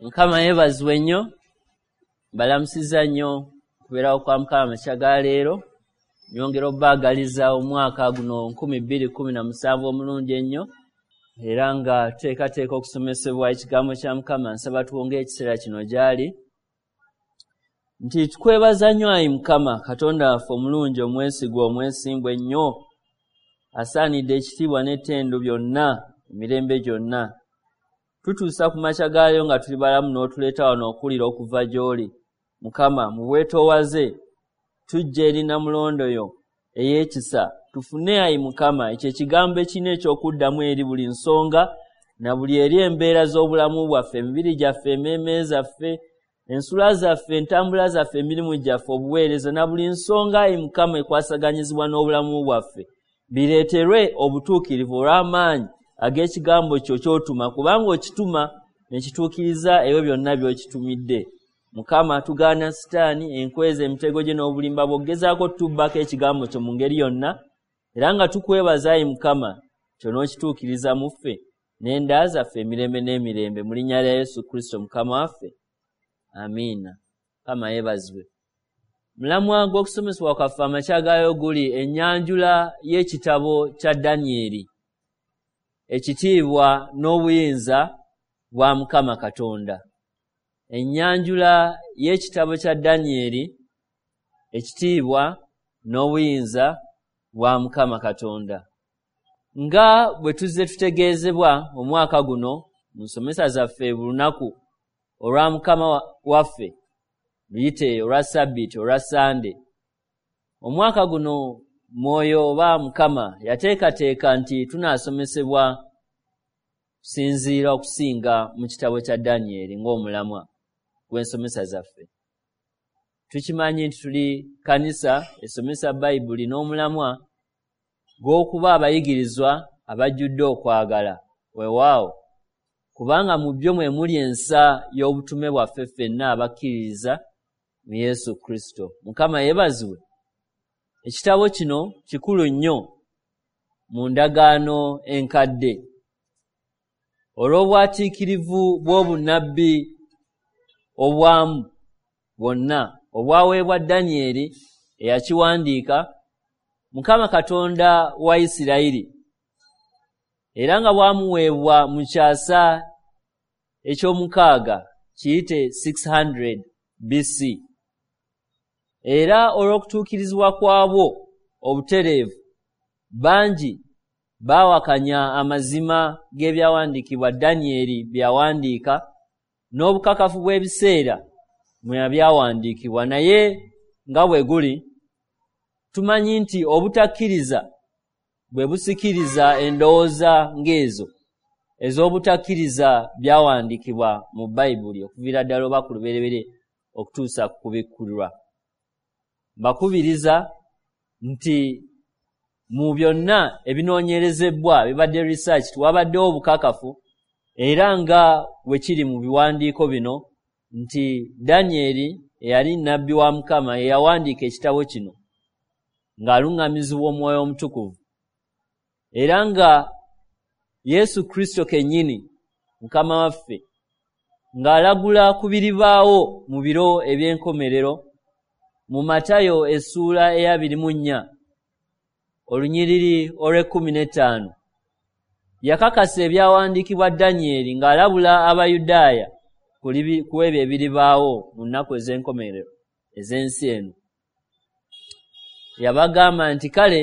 Mukama yeebazibwe nnyo. Mbalamusizza nnyo okubeerawo kwa Mukama amakya ga leero. Nyongera obbaagaliza omwaka guno 2017 omulungi ennyo, era nga tuteekateeka okusomesebwa ekigambo kya Mukama. Nsaba tuwongeyo ekiseera kino gy'ali nti tukwebaza nnyo ayi Mukama Katonda waffe omulungi, omwesigwa, omwesimbu ennyo, asaanidde ekitiibwa n'ettendo byonna emirembe gyonna. Tutuusa ku makya gaayo nga tuli balamu n'otuleeta wano okuwulira okuva gy'oli. Mukama, mu bwetoowaze tujja eri nnamulondo yo ey'ekisa, tufune ayi Mukama ekyo ekigambo ekirina eky'okuddamu eri buli nsonga na buli eri embeera z'obulamu bwaffe, emibiri gyaffe, emmeeme zaffe, ensula zaffe, entambula zaffe, emirimu gyaffe, obuweereza na buli nsonga ayi Mukama ekwasaganyizibwa n'obulamu bwaffe, bireeterwe obutuukirivu olw'amaanyi ag'ekigambo kyo ky'otuma, kubanga okituma ne kituukiriza ebyo byonna by'okitumidde. Mukama, tugaana Sitaani, enkweza, emitego gye n'obulimba bw'okugezaako otutubbako ekigambo kyo mu ngeri yonna, era nga tukwebaza ayi Mukama ky'onookituukiriza mu ffe n'enda zaffe emirembe n'emirembe, mu linnya lya Yesu Kristo Mukama waffe, amiina. Mukama yeebazibwe. Mulamwa gw'okusomesebwa kwaffe amakya gaayo guli ennyanjula y'ekitabo kya Danyeri, ekitiibwa n'obuyinza bwa Mukama Katonda. Ennyanjula y'ekitabo kya Danyeri, ekitiibwa n'obuyinza bwa Mukama Katonda. Nga bwe tuzze tutegeezebwa omwaka guno mu nsomesa zaffe buli lunaku olwa Mukama waffe, luyite olwa Ssabbiiti, olwa Ssande, omwaka guno Mwoyo oba Mukama yateekateeka nti tunaasomesebwa kusinziira okusinga mu kitabo kya Danyeri ng'omulamwa gw'ensomesa zaffe. Tukimanyi nti tuli kkanisa esomesa Bayibuli n'omulamwa gw'okuba abayigirizwa abajjudde okwagala. Weewaawo, kubanga mu byo mwe muli ensa y'obutume bwaffe ffenna abakkiririza mu Yesu Kristo. Mukama yeebazibwe. Ekitabo kino kikulu nnyo mu ndagaano enkadde olw'obwatiikirivu bw'obunnabbi obwamu bwonna obwaweebwa Danyeri eyakiwandiika, Mukama Katonda wa Isirayiri, era nga bwamuweebwa mu kyasa eky'omukaaga, kiyite 600 BC. Era olw'okutuukirizibwa kwabwo obutereevu, bangi baawakanya amazima g'ebyawandiikibwa Danyeri bye yawandiika n'obukakafu bw'ebiseera mwe yabyawandiikibwa. Naye nga bwe guli, tumanyi nti obutakkiriza bwe busikiriza endowooza ng'ezo ez'obutakkiriza byawandiikibwa mu Bayibuli okuviira ddala oba ku lubereberye okutuusa ku kubikkulirwa. Mbakubiriza nti mu byonna ebinoonyerezebbwa bibadde research, wabaddewo obukakafu era nga bwe kiri mu biwandiiko bino nti Danyeri eyali nnabbi wa Mukama ye yawandiika ekitabo kino ng'aluŋŋamizibwa Omwoyo Omutukuvu, era nga Yesu Kristo kennyini Mukama waffe ng'alagula ku biribaawo mu biro eby'enkomerero mu Matayo essuula ey'abiri mu nnya olunyiriri olw'ekkumi n'ettaano, yakakasa ebyawandiikibwa Danyeri ng'alabula Abayudaaya ku ebyo ebiribaawo mu nnaku ez'enkomerero ez'ensi eno. Yabagamba nti, kale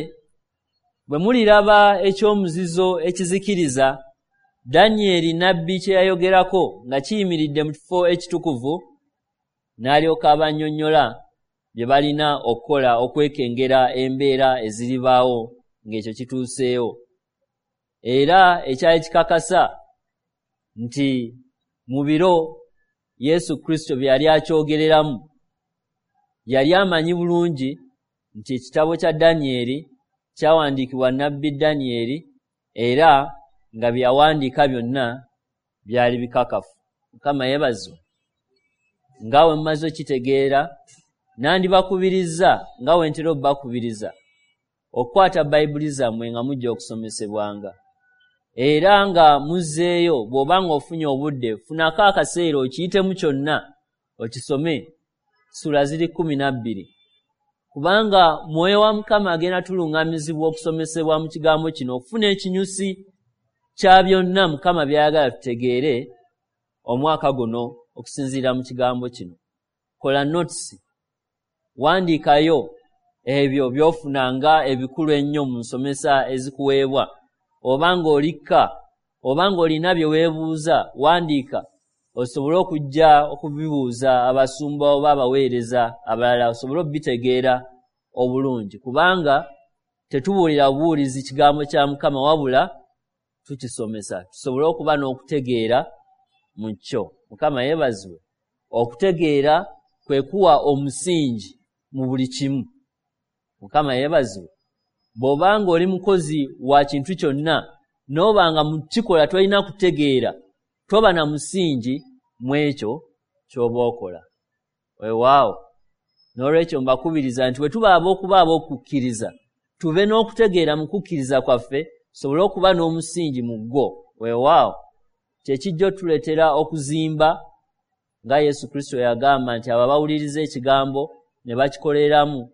bwe muliraba eky'omuzizo ekizikiriza Danyeri nnabbi kye yayogerako nga kiyimiridde mu kifo ekitukuvu, n'alyoka abannyonnyola bye balina okukola okwekengera embeera eziribaawo ng'ekyo kituuseewo. Era ekyali kikakasa nti mu biro Yesu Kristo bye yali akyogereramu, yali amanyi bulungi nti ekitabo kya Danyeri kyawandiikibwa nnabbi Danyeri, era nga bye yawandiika byonna byali bikakafu. Mukama yeebazibwe. Nga bwe mumaze okitegeera, nandibakubirizza nga bwe ntera obbakubiriza okukwata Bayibuli zammwe nga mujja okusomesebwanga. Era nga muzzeeyo, bw'oba ng'ofunye obudde, funako akaseera okiyitemu kyonna okisome. Ssuula ziri 12, kubanga Mwoyo wa Mukama agenda tuluŋŋamizibwa okusomesebwa mu kigambo kino, okufuna ekinyusi kya byonna Mukama by'ayagala tutegeere omwaka guno okusinziira mu kigambo kino. Kola notes, wandiikayo ebyo by'ofuna nga ebikulu ennyo mu nsomesa ezikuweebwa. Oba ng'olikka, oba ng'olina bye weebuuza, wandiika osobole okujja okubibuuza abasumba oba abaweereza abalala, osobole okubitegeera obulungi, kubanga tetubuulira bubuulizi kigambo kya Mukama, wabula tukisomesa tusobole okuba n'okutegeera mu kyo. Mukama yeebazibwe. Okutegeera kwe kuwa omusingi mu buli kimu. Mukama yeebazibwe. Bw'oba ng'oli mukozi wa kintu kyonna, n'oba nga mu kikola tolina kutegeera, toba na musingi mu ekyo ky'oba okola. Weewaawo. N'olwekyo mbakubiriza nti bwe tuba ab'okuba ab'okukkiriza, tube n'okutegeera mu kukkiriza kwaffe, tusobole okuba n'omusingi mu gwo. Weewaawo. Kye kijja otuleetera okuzimba, nga Yesu Kristo yagamba nti abo abawuliriza ekigambo ne bakikoleramu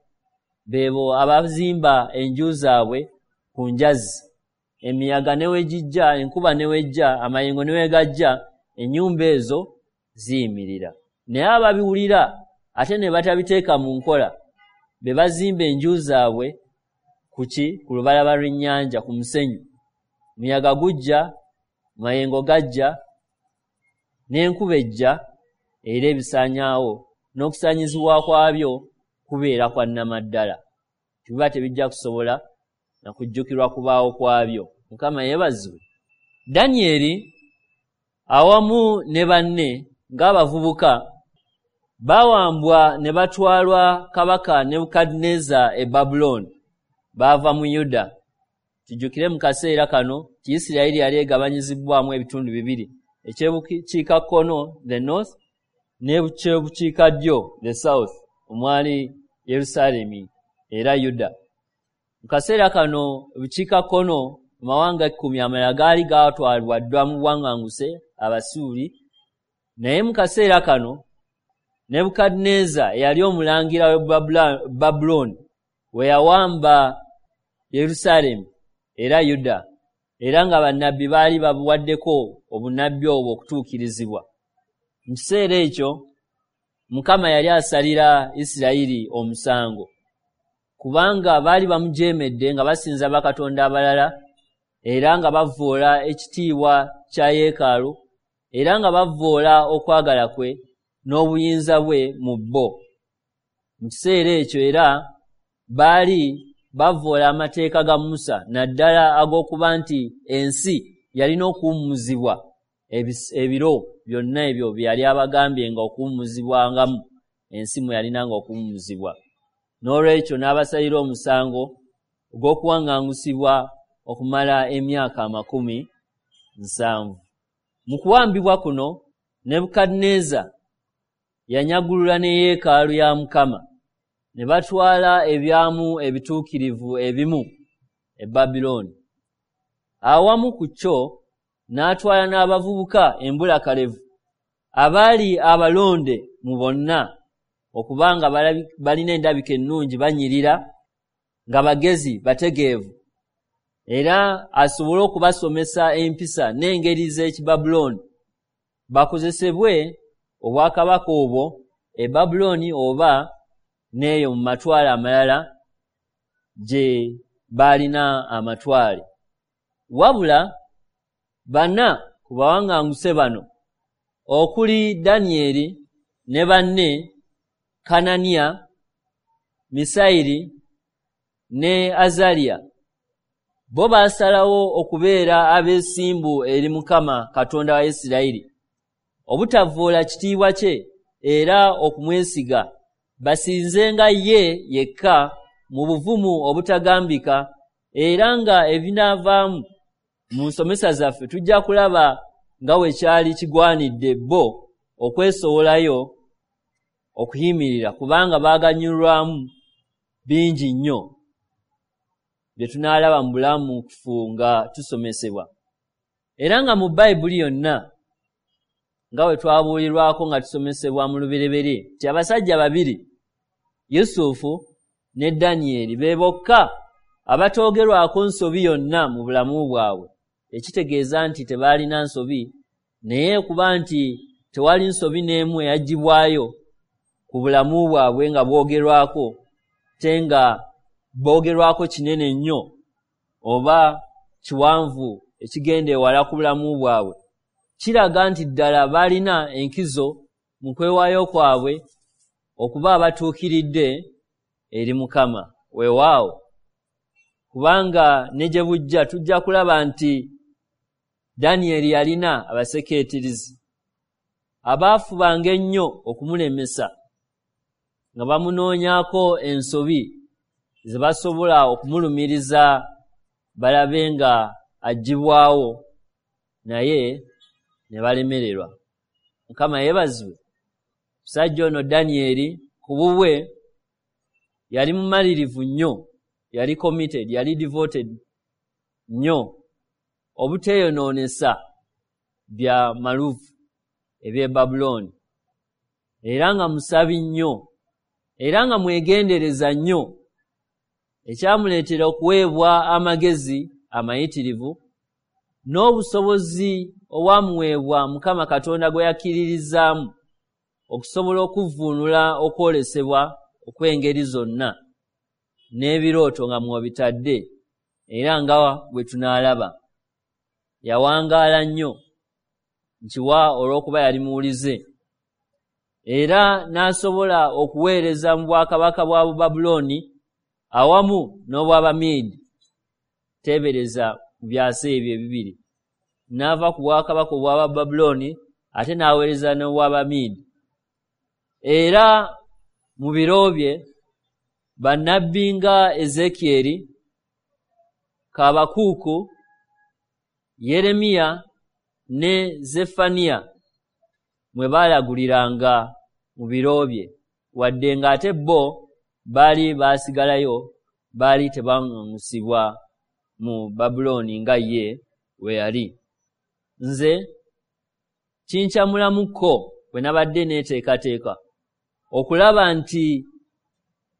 beebo abazimba enju zaabwe ku njazi. Emiyaga ne we gijja, enkuba ne wejja, amayengo ne we gajja, ennyumba ezo ziyimirira. Naye ababiwulira ate ne batabiteeka mu nkola, be bazimba enju zaabwe ku ki? Ku lubalama lw'ennyanja, ku musenyu. Muyaga gujja, mayengo gajja, n'enkuba ejja, era ebisaanyaawo, n'okusaanyizibwa kwabyo kubeera kwa nnamaddala. Biba tebijja kusobola na kujjukirwa kubaawo kwabyo. Mukama yeebazibwe. Danyeri awamu ne banne ng'abavubuka baawambwa ne batwalwa kabaka Nebukadduneeza e Babulooni. Baava mu Yuda. Tujjukire mu kaseera kano nti Isirayiri yali egabanyizibbwamu ebitundu bibiri, ekyebukiikakkono, the north, n'ekyebukiikaddyo, the south, omwali Yerusaalemi era Yuda. Mu kaseera kano ebukiikakkono amawanga 10 amalala gaali gaatwalibwa ddwa mu buwaŋŋanguse Abasuuli, naye mu kaseera kano Nebukadduneeza eyali omulangira w'e Babulooni we yawamba Yerusaalemi era Yuda, era nga bannabbi baali babuwaddeko obunnabbi obwo okutuukirizibwa. Mu kiseera ekyo Mukama yali asalira Isirayiri omusango, kubanga baali bamujeemedde nga basinza bakatonda abalala, era nga bavvoola ekitiibwa kya yeekaalu, era nga bavvoola okwagala kwe n'obuyinza bwe mu bo. Mu kiseera ekyo era baali bavvoola amateeka ga Musa, naddala ag'okuba nti ensi yalina okuwummuzibwa ebiro byonna ebyo bye yali abagambye nga okuwummuzibwangamu, ensi mwe yalinanga okuwummuzibwa. N'olwekyo n'abasalira omusango ogw'okuwaŋŋangusibwa okumala emyaka 70. Mu kuwambibwa kuno Nebukadduneeza yanyagulula ne yeekaalu ya Mukama, ne batwala ebyamu ebituukirivu ebimu e Babulooni. Awamu ku kyo n'atwala n'abavubuka embulakalevu abaali abalonde mu bonna, okuba nga balina endabika ennungi, banyirira, nga bagezi, bategeevu, era asobole okubasomesa empisa n'engeri z'Ekibabulooni, bakozesebwe obwakabaka obwo e Babulooni oba n'eyo mu matwale amalala gye baalina amatwale. Wabula bana ku bawaŋŋanguse bano, okuli Danyeri ne banne Kananiya, Misayiri ne Azaliya, bo baasalawo okubeera abeesimbu eri Mukama Katonda wa Isirayiri, obutavvoola kitiibwa kye era okumwesiga, basinzenga ye yekka mu buvumu obutagambika, era nga ebinaavaamu mu nsomesa zaffe tujja kulaba nga bwe kyali kigwanidde bo okwesowolayo okuyimirira, kubanga baaganyulwamu bingi nnyo bye tunaalaba mu bulamu kufu nga tusomesebwa. Era nga mu Bayibuli yonna, nga bwe twabuulirwako nga tusomesebwa mu Lubereberye, nti abasajja babiri, Yusufu ne Danyeri, be bokka abatoogerwako nsobi yonna mu bulamu bwabwe. Ekitegeeza nti tebaalina nsobi, naye kuba nti tewali nsobi n'emu eyaggyibwayo ku bulamu bwabwe nga bwogerwako, te nga boogerwako kinene nnyo oba kiwanvu ekigenda ewala ku bulamu bwabwe. Kiraga nti ddala baalina enkizo mu kwewaayo kwabwe okuba abatuukiridde eri Mukama. Weewaawo, kubanga ne gye bujja tujja kulaba nti Danyeri yalina abasekeetirizi abaafubanga ennyo okumulemesa nga bamunoonyaako ensobi ze basobola okumulumiriza balabe nga aggyibwawo, naye ne balemererwa. Mukama yeebazibwe. Omusajja ono Danyeri ku bubwe yali mumalirivu nnyo, yali committed, yali devoted nnyo obuteeyonoonesa bya maluvu eby'e Babulooni, era nga musabi nnyo, era nga mwegendereza nnyo, ekyamuleetera okuweebwa amagezi amayitirivu n'obusobozi obwamuweebwa Mukama Katonda gwe yakkiririzaamu okusobola okuvvuunula okwolesebwa okw'engeri zonna n'ebirooto nga mw'obitadde, era nga bwe tunaalaba. Yawangaala nnyo nkiwa olw'okuba yali muwulize, era n'asobola okuweereza mu bwakabaka bwa Bubabulooni awamu n'obw'Abamiidi. Teebereza mu byasa ebyo ebibiri, n'ava ku bwakabaka obw'Abababulooni ate n'aweereza n'obw'Abamiidi. Era mu biro bye bannabbi nga Ezeekyeri, Kaabakuuku, Yeremiya ne Zeffaniya mwe baalaguliranga mu biro bye, wadde ng'ate bo baali baasigalayo, baali tebaŋŋaŋusibwa mu Babulooni nga ye bwe yali. Nze kinkyamulamuko bwe nabadde neeteekateeka okulaba nti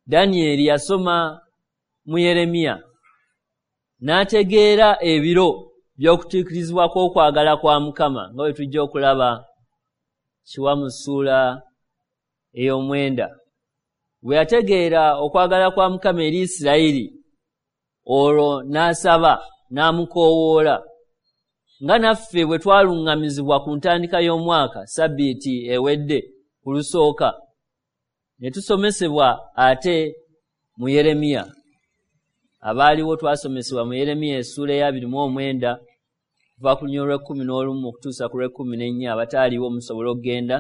Danyeri yasoma mu Yeremiya n'ategeera ebiro by'okutuukirizibwa kw'okwagala kwa Mukama, nga bwe tujja okulaba kiwa mu ssuula ey'omwenda. Bwe yategeera okwagala kwa Mukama eri Isirayiri, olwo n'asaba n'amukoowoola, nga naffe bwe twaluŋŋamizibwa ku ntandika y'omwaka sabbiiti ewedde ku lusooka, ne tusomesebwa ate mu Yeremiya. Abaaliwo twasomesebwa mu Yeremiya essuula ey'abiri mu omwenda kuva ku lunyiriri lw'ekkumi n'olumu okutuusa ku lw'ekkumi n'ennya. Abataaliwo musobola okugenda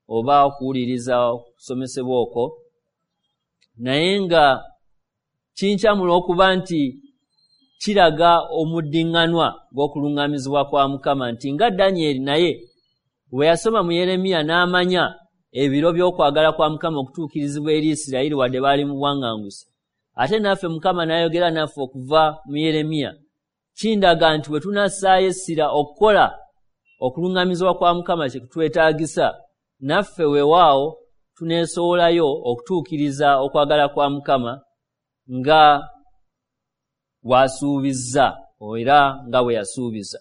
oba okuwuliriza okusomesebwa okwo. Naye nga kinkyamula okuba nti kiraga omuddiŋŋanwa gw'okuluŋŋamizibwa kwa Mukama, nti nga Danyeri naye bwe yasoma mu Yeremiya n'amanya ebiro by'okwagala kwa Mukama okutuukirizibwa eri Isirayiri wadde baali mu bwaŋŋanguse, ate naffe Mukama n'ayogera naffe okuva mu Yeremiya. Kindaga nti bwe tunassaayo essira okukola okuluŋŋamizibwa kwa Mukama kye kutwetaagisa, naffe weewaawo tuneesowolayo okutuukiriza okwagala kwa Mukama nga bw'asuubizza era nga bwe yasuubiza.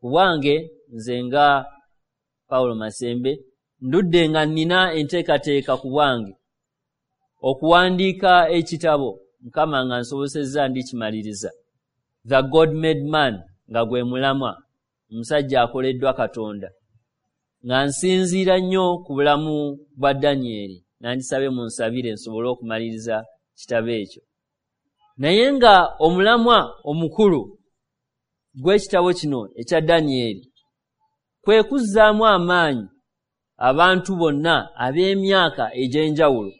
Ku bwange nze nga Pawulo Masembe ndudde nga nnina enteekateeka ku bwange okuwandiika ekitabo, Mukama nga nsobosezza ndikimaliriza, The God Made Man, nga gwe mulamwa, omusajja akoleddwa Katonda, nga nsinziira nnyo ku bulamu bwa Danyeri. Nandisabye munsabire nsobole okumaliriza kitabo ekyo. Naye nga omulamwa omukulu gw'ekitabo kino ekya Danyeri kwe kuzzaamu amaanyi abantu bonna ab'emyaka egy'enjawulo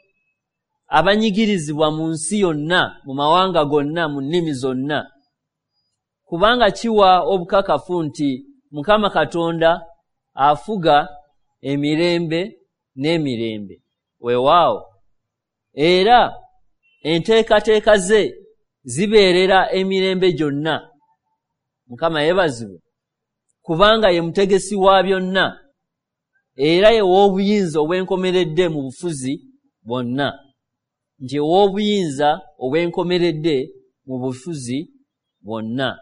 abanyigirizibwa mu nsi yonna, mu mawanga gonna, mu nnimi zonna, kubanga kiwa obukakafu nti Mukama Katonda afuga emirembe n'emirembe. Weewaawo, era enteekateeka ze zibeerera emirembe gyonna. Mukama yeebazibwe. Kubanga ye mutegesi wa byonna, era ye w'obuyinza obwenkomeredde mu bufuzi bwonna. Nti ow'obuyinza obwenkomeredde mu bufuzi bwonna.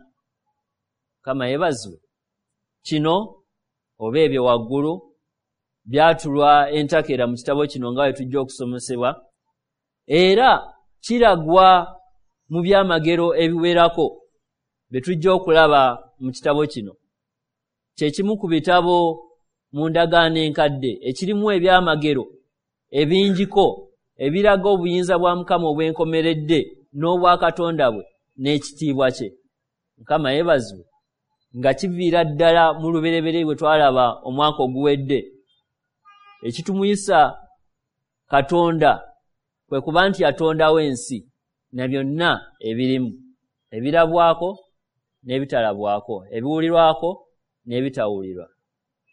Mukama yeebazibwe. Kino oba ebyo waggulu byatulwa entakera mu kitabo kino nga bwe tujja okusomesebwa, era kiragwa mu byamagero ebiwerako bye tujja okulaba mu kitabo kino. Kye kimu ku bitabo mu ndagaano enkadde ekirimu ebyamagero ebingiko ebiraga obuyinza bwa Mukama obwenkomeredde n'obwakatonda bwe n'ekitiibwa kye. Mukama yeebazibwe. Nga kiviira ddala mu lubereberye bwe twalaba omwaka oguwedde, ekitumuyisa Katonda kwe kuba nti yatondawo ensi na byonna ebirimu, ebirabwako n'ebitalabwako, ebiwulirwako n'ebitawulirwa.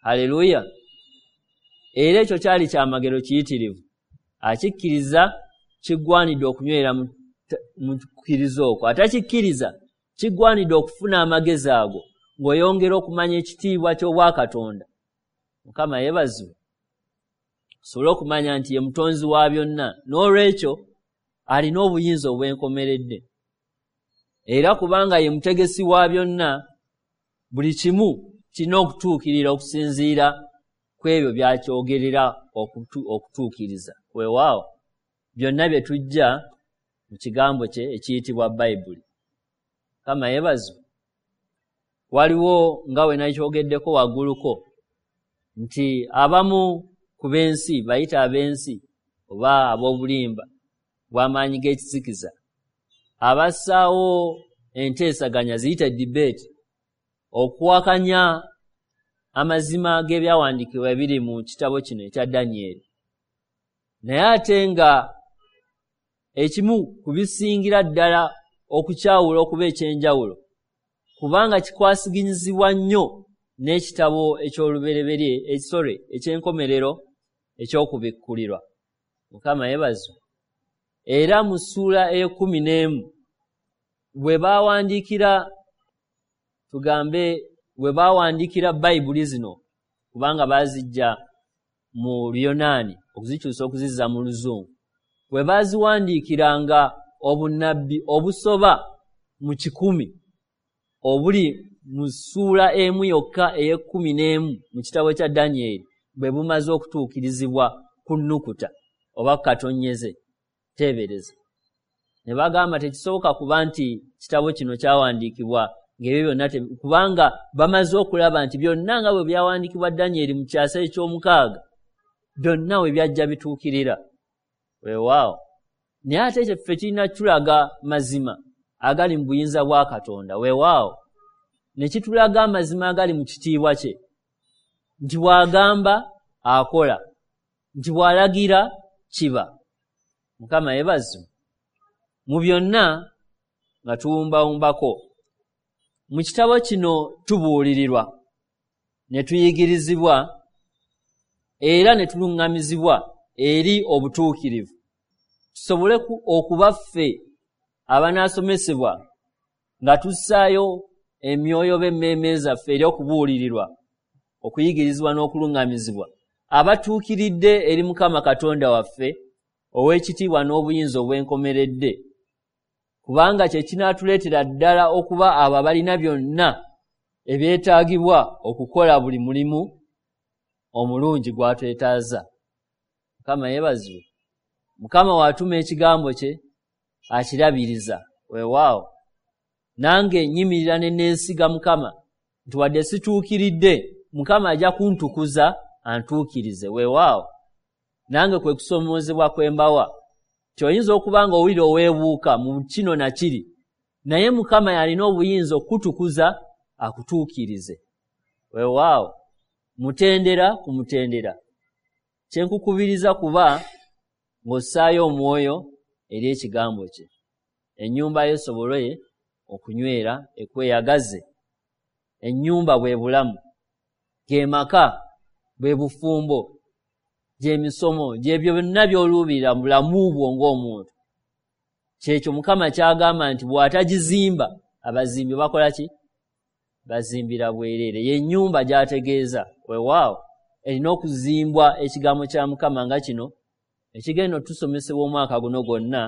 Haleluya! Era ekyo kyali kyamagero kiyitirivu. Akikkiriza kiggwanidde okunywera mu kukkiriza okwo, atakikkiriza kiggwanidde okufuna amagezi ago ng'oyongera okumanya ekitiibwa ky'obwakatonda. Mukama yeebazibwe. Osobole okumanya nti ye mutonzi wa byonna, n'olwekyo alina obuyinza obwenkomeredde. Era kubanga ye mutegesi wa byonna, buli kimu kirina okutuukirira okusinziira ku ebyo by'akyogerera okutuukiriza. Weewaawo, byonna bye tujja mu kigambo kye ekiyitibwa Bayibuli. Mukama yeebazibwe. Waliwo nga we nakyogeddeko wagguluko nti abamu ku b'ensi, bayite ab'ensi oba ab'obulimba bw'amaanyi g'ekizikiza, abassaawo enteesaganya ziyite debate okuwakanya amazima g'ebyawandiikibwa ebiri mu kitabo kino ekya Danyeri. Naye ate nga ekimu ku bisingira ddala okukyawula okuba eky'enjawulo, kubanga kikwasiginyizibwa nnyo n'ekitabo eky'olubereberye, ekisore eky'enkomerero eky'okubikkulirwa. Mukama yeebazibwe. Era mu ssuula ey'ekumi n'emu bwe baawandiikira, tugambe bwe baawandiikira Bayibuli zino, kubanga baazijja mu Luyonaani okuzikyusa okuzizza mu Luzungu, bwe baaziwandiikiranga obunnabbi obusoba mu 100 obuli mu ssuula emu yokka ey'ekumi n'emu mu kitabo kya Danyeri bwe bumaze okutuukirizibwa ku nnukuta oba ku katonnyeze, teebereza. Ne bagamba tekisoboka kuba nti kitabo kino kyawandiikibwa ng'ebyo byonna, kubanga bamaze okulaba nti byonna nga bwe byawandiikibwa Danyeri mu kyasa eky'omukaaga, byonna we byajja bituukirira. Weewaawo. Naye ate ekyo ffe kirina kitulaga mazima agali mu buyinza bwa Katonda. Weewaawo. Ne kitulaga amazima agali mu kitiibwa kye, nti bw'agamba akola, nti bw'alagira kiba. Mukama yeebazibwe. Mu byonna nga tuwumbawumbako, mu kitabo kino tubuulirirwa, ne tuyigirizibwa, era ne tuluŋŋamizibwa eri obutuukirivu, tusobole okuba ffe abanaasomesebwa nga tussaayo emyoyo b'emmeeme zaffe eri okubuulirirwa, okuyigirizibwa n'okuluŋŋamizibwa, abatuukiridde eri Mukama Katonda waffe ow'ekitiibwa n'obuyinza obwenkomeredde, kubanga kye kinaatuleetera ddala okuba abo abalina byonna ebyetaagibwa okukola buli mulimu omulungi gw'atwetaaza. Mukama yeebazibwe. Mukama w'atuma ekigambo kye akirabiriza. Weewaawo. Nange nnyimirira ne neesiga Mukama nti wadde situukiridde, Mukama ajja kuntukuza antuukirize. Weewaawo. Nange kwe kusoomoozebwa kwe mbawa, nti oyinza okuba ng'owulira oweebuuka mu kino na kiri, naye Mukama y'alina obuyinza okukutukuza akutuukirize. Weewaawo. Mutendera ku mutendera. Kye nkukubiriza kuba ng'ossaayo omwoyo eri ekigambo kye, ennyumba yo esobole okunywera ekweyagaze. Ennyumba bwe bulamu, ge maka, bwe bufumbo, gy'emisomo, gy'ebyo byonna by'oluubirira mu bulamu bwo ng'omuntu. Kyekyo Mukama ky'agamba nti bw'atagizimba, abazimbi bakola ki? Bazimbira bwereere. Ye nnyumba gy'ategeeza, weewaawo, erina okuzimbwa ekigambo kya Mukama nga kino ekigenda otusomesebwa omwaka guno gwonna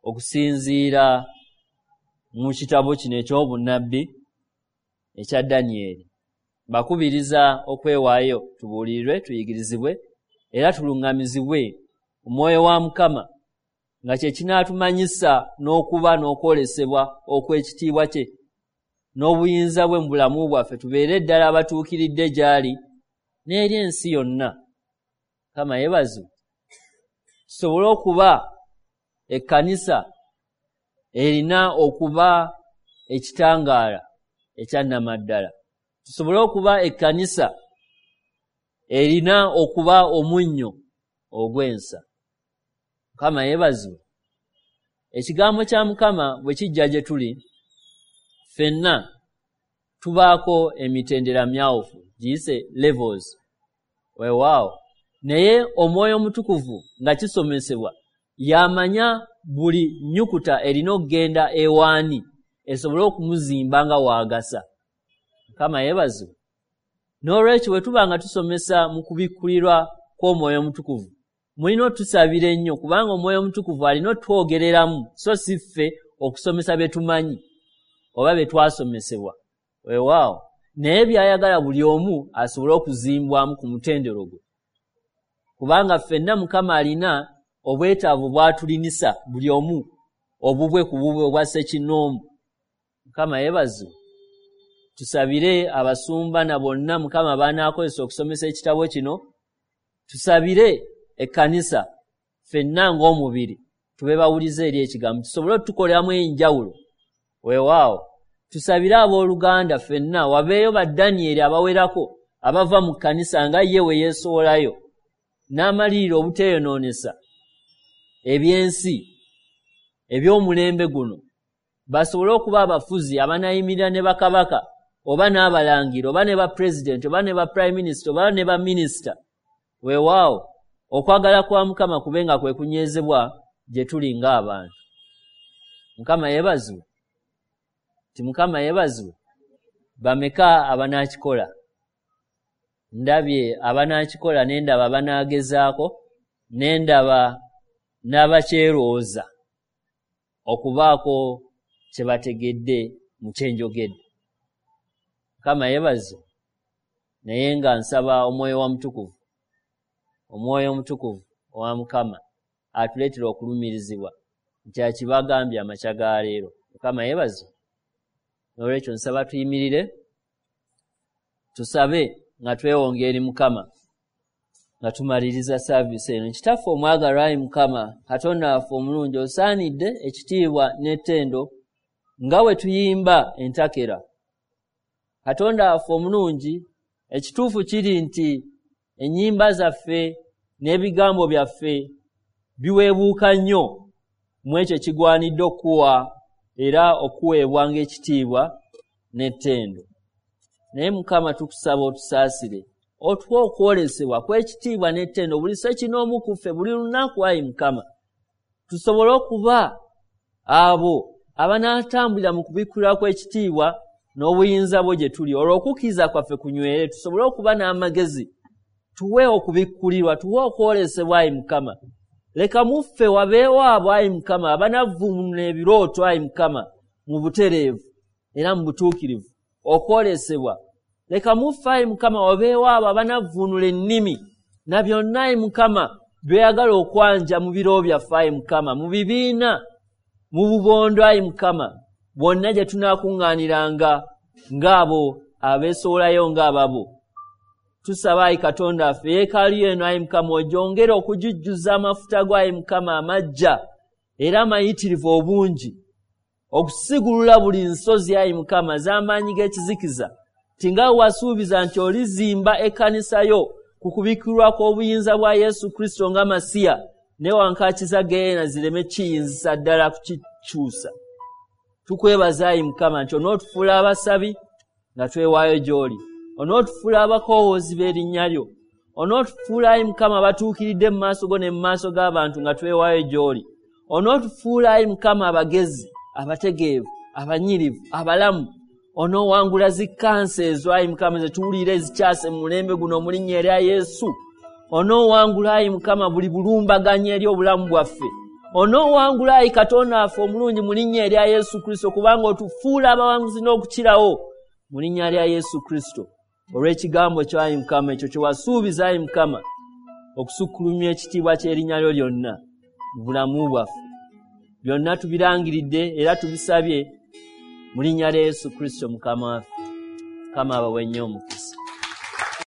okusinziira mu kitabo kino eky'obunnabbi ekya Danyeri. Bakubiriza okwewaayo tubuulirirwe, tuyigirizibwe era tuluŋŋamizibwe omwoyo wa Mukama, nga kye kinaatumanyisa n'okuba n'okwolesebwa okw'ekitiibwa kye n'obuyinza bwe mu bulamu bwaffe, tubeere ddala abatuukiridde gy'ali n'eri ensi yonna. Mukama yeebazibwe. Tusobole okuba ekkanisa erina okuba ekitangaala ekya nnamaddala, tusobole okuba ekkanisa erina okuba omunnyo ogw'ensa. Mukama yeebazibwe. Ekigambo kya Mukama bwe kijja gye tuli ffenna, tubaako emitendera myawufu, giyise levels, weewaawo, naye Omwoyo Omutukuvu nga kisomesebwa y'amanya buli nnyukuta erina okugenda ewaani esobole okumuzimba nga waagasa. Mukama yeebazibwe. N'olwekyo bwe tuba nga tusomesa mu kubikkulirwa kw'Omwoyo Omutukuvu, mulina otusabira ennyo, kubanga Omwoyo Omutukuvu alina otwogereramu, so si ffe okusomesa bye tumanyi oba bye twasomesebwa, weewaawo, naye by'ayagala buli omu asobole okuzimbwamu ku mutendero gwe, kubanga ffenna Mukama alina obwetaavu bw'atulinisa buli omu obubwe ku bubwe obwa ssekinnoomu. Mukama yeebazibwe. Tusabire abasumba na bonna Mukama b'anaakozesa okusomesa ekitabo kino. Tusabire ekkanisa ffenna ng'omubiri tube bawulize eri ekigambo, tusobole otukoleramu enjawulo. Weewaawo, tusabire abooluganda ffenna wabeeyo ba Danyeri abawerako abava mu kkanisa nga ye we yeesowolayo n'amalirira obuteeyonoonesa ebyensi eby'omulembe guno, basobole okuba abafuzi abanaayimirira ne bakabaka oba n'abalangira oba ne bapulezidenti oba ne ba prime minister oba ne baminisita. Weewaawo, okwagala kwa Mukama kube nga kwe kunywezebwa gye tuli ng'abantu. Mukama yeebazibwe. Nti Mukama yeebazibwe. Bameka abanaakikola? Ndabye abanaakikola, ne ndaba abanaagezaako, ne ndaba n'abakyerowooza okubaako kye bategedde mu kye njogedde. Mukama yeebazibwe. Naye nga nsaba Omwoyo wa Mutukuvu, Omwoyo Omutukuvu owa Mukama atuleetera okulumirizibwa nti akibagambye amakya ga leero. Mukama yeebazibwe. N'olwekyo nsaba tuyimirire tusabe nga twewonga eri Mukama nga tumaliriza saaviisi eno. Kitaffe omwagalwa, ayi Mukama Katonda waffe omulungi, osaanidde ekitiibwa n'ettendo nga bwe tuyimba entakera. Katonda waffe omulungi, ekituufu kiri nti ennyimba zaffe n'ebigambo byaffe biweebuuka nnyo mu ekyo ekigwanidde okuwa era okuweebwa ng'ekitiibwa n'ettendo. Naye Mukama tukusaba otusaasire, otuwe okwolesebwa kw'ekitiibwa n'ettendo buli ssekinoomu ku ffe buli lunaku, ayi Mukama, tusobole okuba abo abanaatambulira mu kubikkulirwa kw'ekitiibwa n'obuyinza bwo gye tuli, olwo okukkiriza kwaffe kunywere, tusobole okuba n'amagezi. Tuwe okubikkulirwa, tuwe okwolesebwa, ayi Mukama. Leka mu ffe wabeewo abo, ayi Mukama, abanavvuunula ebirooto, ayi Mukama, mu butereevu era mu butuukirivu okwolesebwa. Leka mu ffe, ayi Mukama, wabeewo abo abanavvuunula ennimi na byonna, ayi Mukama, by'oyagala okwanja mu biro byaffe, ayi Mukama, mu bibiina, mu bubondo, ayi Mukama, bwonna gye tunaakuŋŋaaniranga ng'abo abeesowolayo ng'ababo. Tusaba, ayi Katonda waffe, yeekaalu eno, ayi Mukama, ogyongere okugijjuza amafuta go, ayi Mukama, amajja era amayitirivu obungi, okusigulula buli nsozi, ayi Mukama, z'amaanyi g'ekizikiza, nti nga bwe wasuubiza nti olizimba ekkanisa yo ku kubikkulirwa kw'obuyinza bwa Yesu Kristo nga Masiya, ne wankaaki za Geyeena zireme kiyinzisa ddala kukikyusa. Tukwebaza, ayi Mukama, nti onootufuula abasabi nga twewaayo gy'oli, onootufuula abakoowoozi b'erinnya lyo, onootufuula, ayi Mukama, abatuukiridde mu maaso go ne mu maaso g'abantu nga twewaayo gy'oli, onootufuula, ayi Mukama, abagezi, abategeevu, abanyirivu, abalamu. Onoowangula zikkansa ezo, ayi Mukama, zetuwulira ezikyase mu mulembe guno mu linnya erya Yesu. Onoowangula, ayi Mukama, buli bulumbaganyi eri obulamu bwaffe. Onoowangula, ayi Katonda waffe omulungi, mu linnya erya Yesu Kristo, kubanga otufuula abawanguzi n'okukirawo mu linnya lya Yesu Kristo. Olw'ekigambo kyo, ayi Mukama, ekyo kye wasuubiza, ayi Mukama, okusukkulumya ekitiibwa ky'erinnya lyo lyonna mu bulamu bwaffe. Byonna tubirangiridde era tubisabye mu linnya lya Yesu Kristo Mukama waffe. Mukama abawe nnyo omukisa.